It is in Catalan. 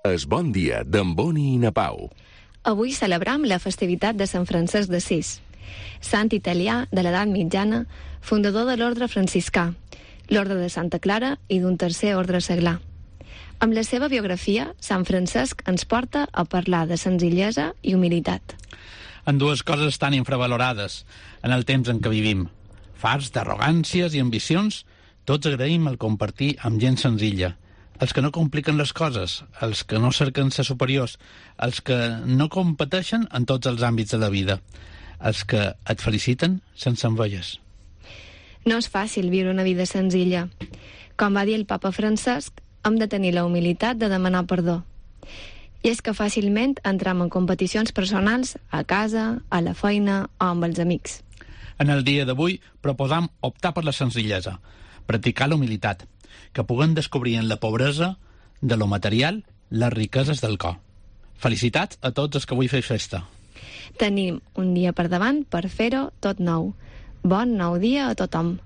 Es bon dia d'en Boni i na Pau. Avui celebram la festivitat de Sant Francesc d'Assís, sant italià de l'edat mitjana, fundador de l'ordre franciscà, l'ordre de Santa Clara i d'un tercer ordre seglar. Amb la seva biografia, Sant Francesc ens porta a parlar de senzillesa i humilitat. En dues coses tan infravalorades en el temps en què vivim. Farts d'arrogàncies i ambicions, tots agraïm el compartir amb gent senzilla. Els que no compliquen les coses, els que no cerquen ser superiors, els que no competeixen en tots els àmbits de la vida, els que et feliciten sense enveies. No és fàcil viure una vida senzilla. Com va dir el papa Francesc, hem de tenir la humilitat de demanar perdó. I és que fàcilment entrem en competicions personals a casa, a la feina o amb els amics. En el dia d'avui proposam optar per la senzillesa, practicar la humilitat, que puguem descobrir en la pobresa de lo material les riqueses del cor. Felicitats a tots els que avui feu festa. Tenim un dia per davant per fer-ho tot nou. Bon nou dia a tothom.